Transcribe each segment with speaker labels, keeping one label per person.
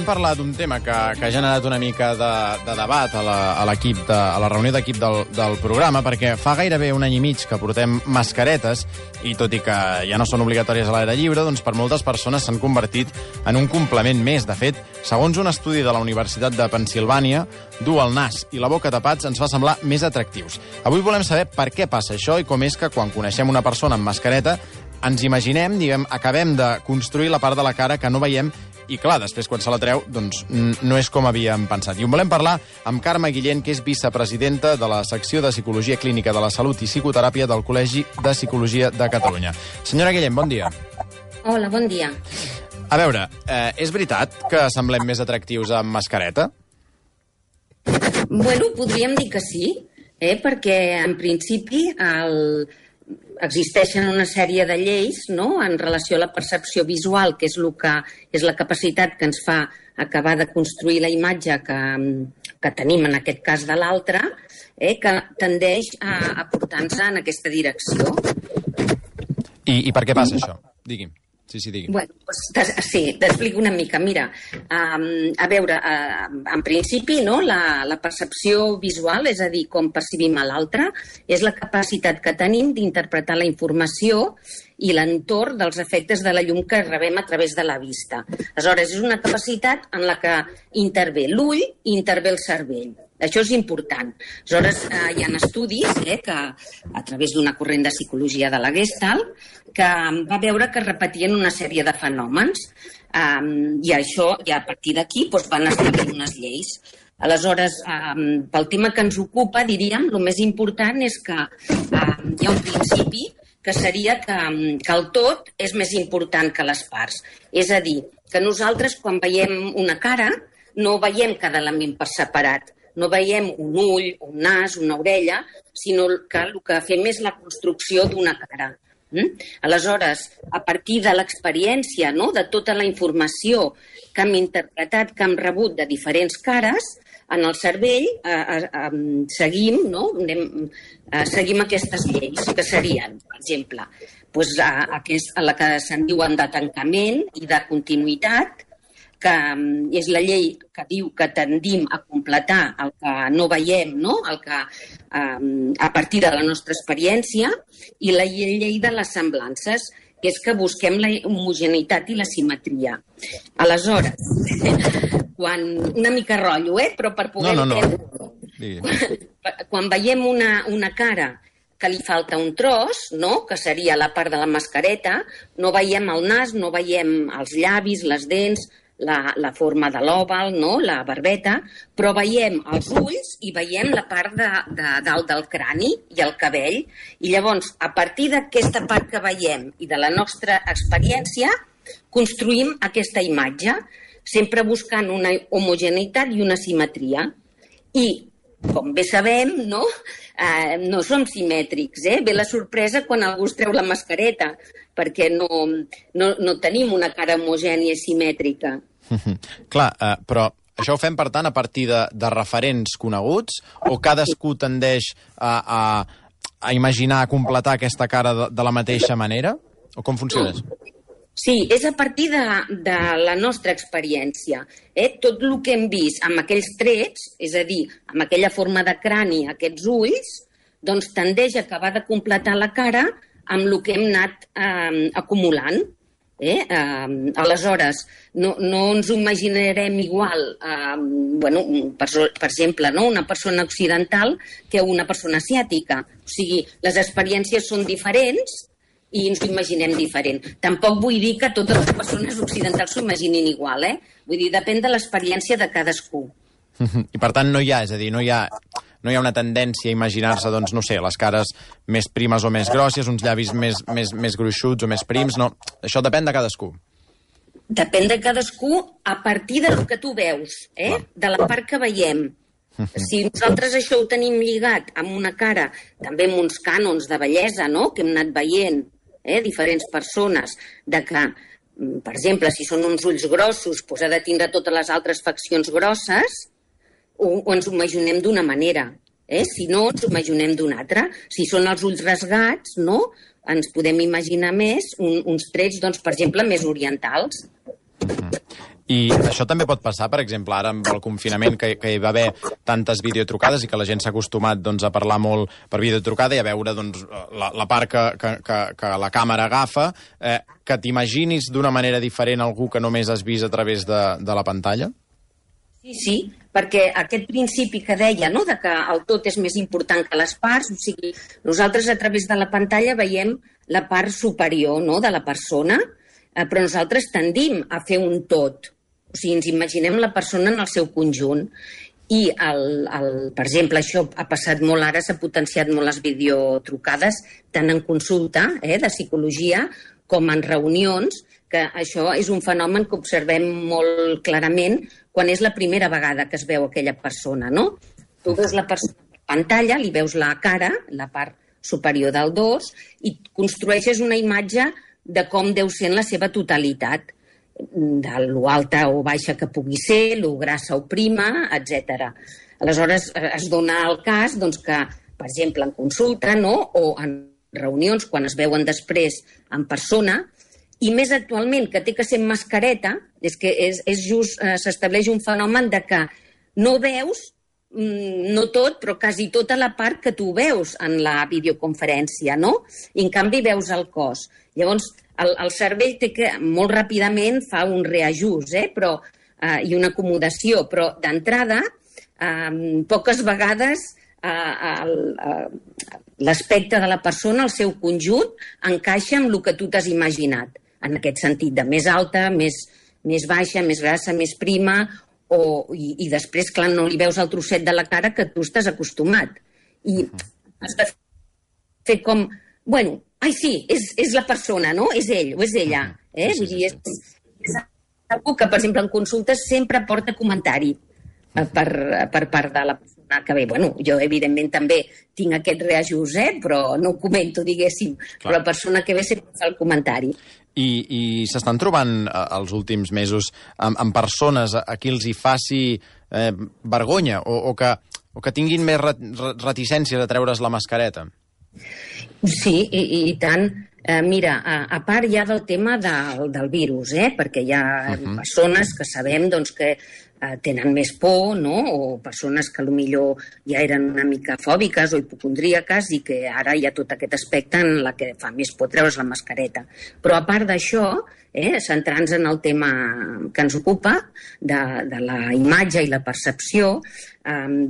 Speaker 1: volem parlar d'un tema que ha generat una mica de debat a la reunió d'equip del programa, perquè fa gairebé un any i mig que portem mascaretes, i tot i que ja no són obligatòries a l'aire lliure, doncs per moltes persones s'han convertit en un complement més. De fet, segons un estudi de la Universitat de Pennsilvània, dur el nas i la boca tapats ens fa semblar més atractius. Avui volem saber per què passa això i com és que quan coneixem una persona amb mascareta ens imaginem, acabem de construir la part de la cara que no veiem i, clar, després, quan se la treu, doncs no és com havíem pensat. I en volem parlar amb Carme Guillén, que és vicepresidenta de la secció de Psicologia Clínica de la Salut i Psicoteràpia del Col·legi de Psicologia de Catalunya. Senyora Guillén, bon dia.
Speaker 2: Hola, bon dia.
Speaker 1: A veure, és veritat que semblem més atractius amb mascareta?
Speaker 2: Bueno, podríem dir que sí, perquè en principi existeixen una sèrie de lleis, no?, en relació a la percepció visual, que és la capacitat que ens fa acabar de construir la imatge que tenim en aquest cas de l'altre, que tendeix a portar-nos en aquesta direcció.
Speaker 1: I per què passa això? Digui'm. Sí, digui'm.
Speaker 2: Bueno, sí, t'explico una mica. Mira, a veure, en principi, no, la percepció visual, és a dir, com percibim a l'altre, és la capacitat que tenim d'interpretar la informació i l'entorn dels efectes de la llum que rebem a través de la vista. Aleshores, és una capacitat en la que intervé l'ull i intervé el cervell. Això és important. Aleshores, hi ha estudis que, a través d'una corrent de psicologia de la Gestalt, que va veure que repetien una sèrie de fenòmens i això, i a partir d'aquí, van establir unes lleis. Aleshores, pel tema que ens ocupa, diríem, el més important és que hi ha un principi que seria que el tot és més important que les parts. És a dir, que nosaltres, quan veiem una cara, no veiem cada element per separat. No veiem un ull, un nas, una orella, sinó que el que fem és la construcció d'una cara. Aleshores, a partir de l'experiència, no?, de tota la informació que hem interpretat, que hem rebut de diferents cares, en el cervell seguim aquestes lleis, que serien, per exemple, la que se'n diuen de tancament i de continuïtat, que és la llei que diu que tendim a completar el que no veiem, no?, el que, a partir de la nostra experiència, i la llei de les semblances, que és que busquem la homogeneïtat i la simetria. Aleshores, una mica rotllo, però per poder entendre, quan veiem una cara que li falta un tros, no?, que seria la part de la mascareta, no veiem el nas, no veiem els llavis, les dents, la forma de l'òval, no?, la barbeta, però veiem els ulls i veiem la part de dalt del crani i el cabell. I llavors, a partir d'aquesta part que veiem i de la nostra experiència, construïm aquesta imatge, sempre buscant una homogeneïtat i una simetria. I, com bé sabem, no som simètrics. Ve la sorpresa quan algú es treu la mascareta, perquè no tenim una cara homogènia i simètrica.
Speaker 1: Clar, però això ho fem, per tant, a partir de referents coneguts, o cadascú tendeix a imaginar, a completar aquesta cara de la mateixa manera? O com funciona això?
Speaker 2: Sí, és a partir de la nostra experiència. Tot el que hem vist amb aquells trets, és a dir, amb aquella forma de crani, aquests ulls, doncs tendeix a acabar de completar la cara amb el que hem anat acumulant. Aleshores, no ens ho imaginarem igual, per exemple, una persona occidental que una persona asiàtica. O sigui, les experiències són diferents i ens ho imaginem diferent. Tampoc vull dir que totes les persones occidentals s'ho imaginin igual, Vull dir, depèn de l'experiència de cadascú.
Speaker 1: I per tant no hi ha una tendència a imaginar-se, doncs, no sé, les cares més primes o més grosses, uns llavis més gruixuts o més prims, no. Això depèn de cadascú.
Speaker 2: Depèn de cadascú a partir del que tu veus, de la part que veiem. Si nosaltres això ho tenim lligat amb una cara, també amb uns cànons de bellesa, no?, que hem anat veient, diferents persones, de que, per exemple, si són uns ulls grossos, doncs ha de tindre totes les altres faccions grosses, o ens ho imaginem d'una manera. Si no, ens ho imaginem d'una altra. Si són els ulls rasgats, no?, ens podem imaginar més uns trets, doncs, per exemple, més orientals.
Speaker 1: I això també pot passar, per exemple, ara amb el confinament, que hi va haver tantes videotrucades i que la gent s'ha acostumat a parlar molt per videotrucada i a veure la part que la càmera agafa, que t'imaginis d'una manera diferent algú que només has vist a través de la pantalla?
Speaker 2: Sí, perquè aquest principi que deia, no?, de que el tot és més important que les parts, o sigui, nosaltres a través de la pantalla veiem la part superior, no?, de la persona, però nosaltres tendim a fer un tot. O sigui, ens imaginem la persona en el seu conjunt. I, per exemple, això ha passat molt ara, s'ha potenciat molt les videotrucades, tant en consulta de psicologia com en reunions, que això és un fenomen que observem molt clarament quan és la primera vegada que es veu aquella persona, no? Tu veus la persona per pantalla, li veus la cara, la part superior del dors, i construeixes una imatge de com deu ser en la seva totalitat, de lo alta o baixa que pugui ser, lo grassa o prima, etc. Aleshores, es dona el cas que, per exemple, en consulta, no?, o en reunions, quan es veuen després en persona, i més actualment, que té que ser amb mascareta, és que s'estableix un fenomen de que no veus, no tot, però quasi tota la part que tu veus en la videoconferència, no? I en canvi veus el cos. Llavors, el cervell té que molt ràpidament fa un reajust, i una acomodació, però d'entrada, poques vegades l'aspecte de la persona, el seu conjunt, encaixa amb el que tu t'has imaginat. En aquest sentit, de més alta, més baixa, més grassa, més prima, i després, clar, no li veus el trosset de la cara que tu estàs acostumat. I has de fer com, bueno, ai sí, és la persona, no? És ell o és ella. Vull dir, és algú que, per exemple, en consultes sempre porta comentari per part de la persona que ve. Bueno, jo, evidentment, també tinc aquest reajust, però no ho comento, diguéssim. Però la persona que ve sempre fa el comentari.
Speaker 1: I s'estan trobant els últims mesos amb persones a qui els hi faci vergonya o que tinguin més reticències a treure's la mascareta?
Speaker 2: Sí, i tant. Mira, a part ja del tema del virus, perquè hi ha persones que sabem que tenen més por, no?, o persones que potser ja eren una mica fòbiques o hipocondríaques i que ara hi ha tot aquest aspecte en la que fa més por treure's la mascareta. Però a part d'això, centrant-nos en el tema que ens ocupa, de la imatge i la percepció,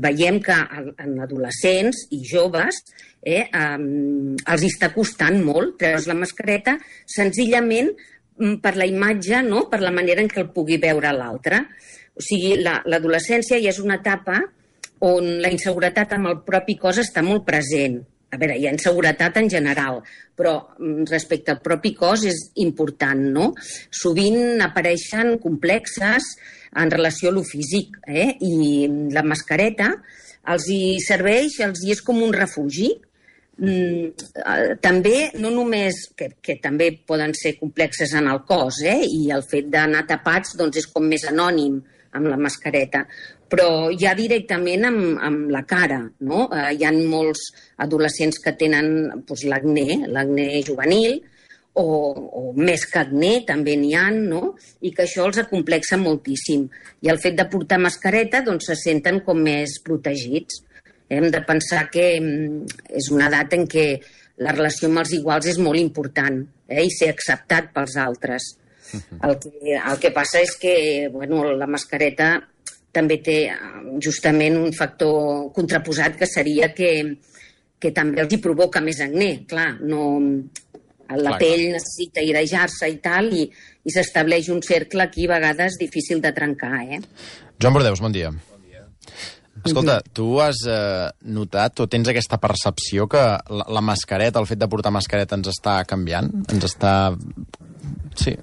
Speaker 2: veiem que en adolescents i joves els està costant molt treure's la mascareta, senzillament per la imatge, no?, per la manera en què el pugui veure l'altre. O sigui, l'adolescència ja és una etapa on la inseguretat amb el propi cos està molt present. A veure, hi ha inseguretat en general, però respecte al propi cos és important, no? Sovint apareixen complexes en relació a lo físic, i la mascareta els hi serveix, els hi és com un refugi. També, no només, que també poden ser complexes en el cos, i el fet d'anar tapats és com més anònim amb la mascareta, però ja directament amb la cara, no? Hi ha molts adolescents que tenen l'acné juvenil, o més que acné, també n'hi ha, no? I que això els acomplexa moltíssim. I el fet de portar mascareta, se senten com més protegits. Hem de pensar que és una edat en què la relació amb els iguals és molt important, i ser acceptat pels altres. El que passa és que la mascareta també té justament un factor contraposat, que seria que també els hi provoca més acné. Clar, la pell necessita airejar-se i tal, i s'estableix un cercle aquí a vegades difícil de trencar.
Speaker 1: Joan Bordeus, bon dia. Escolta, tu has notat o tens aquesta percepció que la mascareta, el fet de portar mascareta ens està canviant? Ens està... Sí.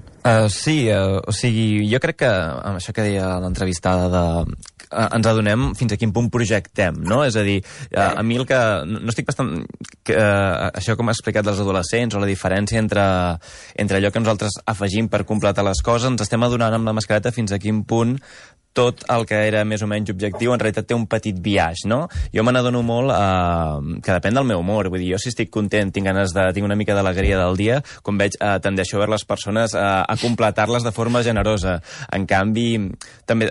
Speaker 3: Sí, o sigui, jo crec que amb això que deia l'entrevistada ens adonem fins a quin punt projectem, no? És a dir, a mi el que... No estic bastant... això com ha explicat dels adolescents, o la diferència entre allò que nosaltres afegim per completar les coses, ens estem adonant amb la mascareta fins a quin punt tot el que era més o menys objectiu en realitat té un petit biaix, no? Jo me n'adono molt que depèn del meu humor. Vull dir, jo si estic content, tinc una mica d'alegria del dia, com veig, tendeixo a veure les persones a completar-les de forma generosa. En canvi, també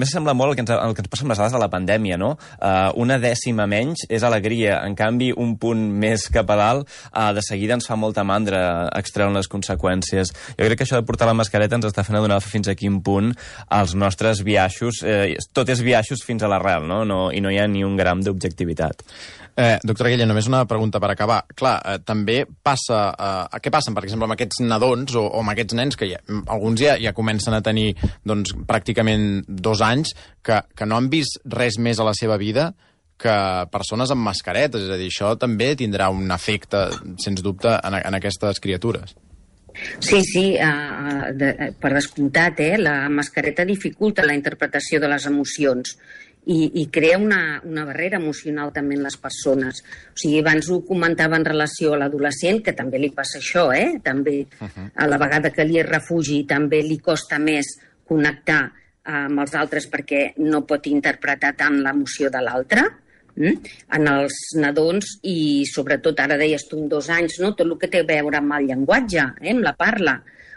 Speaker 3: sembla molt el que ens passa amb les dades de la pandèmia, no? Una dècima menys és alegria. En canvi, un punt més cap a dalt, de seguida ens fa molta mandra extreure les conseqüències. Jo crec que això de portar la mascareta ens està fent adonar fins a quin punt els nostres biaixos, tot és biaixos fins a l'arrel, no? I no hi ha ni un gram d'objectivitat.
Speaker 1: Doctora Guillén, només una pregunta per acabar. Clar, també passa... què passa, per exemple, amb aquests nadons o amb aquests nens que alguns ja comencen a tenir doncs, pràcticament 2 anys que no han vist res més a la seva vida que persones amb mascaretes? És a dir, això també tindrà un efecte, sens dubte, en aquestes criatures.
Speaker 2: Sí, per descomptat, la mascareta dificulta la interpretació de les emocions i crea una barrera emocional també en les persones. O sigui, abans ho comentava en relació a l'adolescent, que també li passa això, també a la vegada que li és refugi també li costa més connectar amb els altres perquè no pot interpretar tant l'emoció de l'altre. En els nadons i sobretot ara deies tu amb 2 anys, no? Tot el que té a veure amb el llenguatge, amb la parla.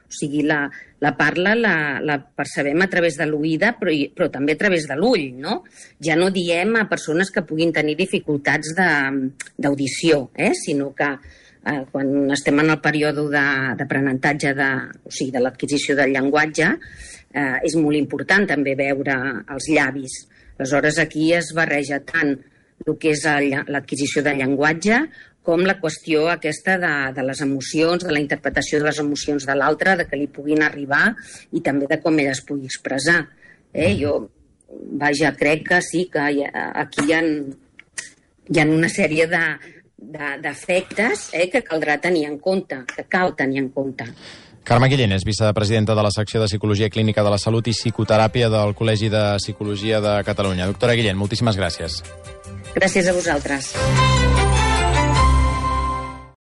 Speaker 2: O sigui, la parla la percebem a través de l'oïda però també a través de l'ull, no? Ja no diem a persones que puguin tenir dificultats d'audició, sinó que quan estem en el període d'aprenentatge o sigui, de l'adquisició del llenguatge és molt important també veure els llavis. Aleshores aquí es barreja tant el que és l'adquisició del llenguatge com la qüestió aquesta de les emocions, de la interpretació de les emocions de l'altre, de que li puguin arribar i també de com ell es pugui expressar. Jo, crec que sí, que aquí hi ha una sèrie d'efectes que caldrà tenir en compte, que cal tenir en compte.
Speaker 1: Carme Guillén és vicepresidenta de la secció de Psicologia Clínica de la Salut i Psicoteràpia del Col·legi de Psicologia de Catalunya. Doctora Guillén, moltíssimes gràcies.
Speaker 2: Gràcies a vosaltres.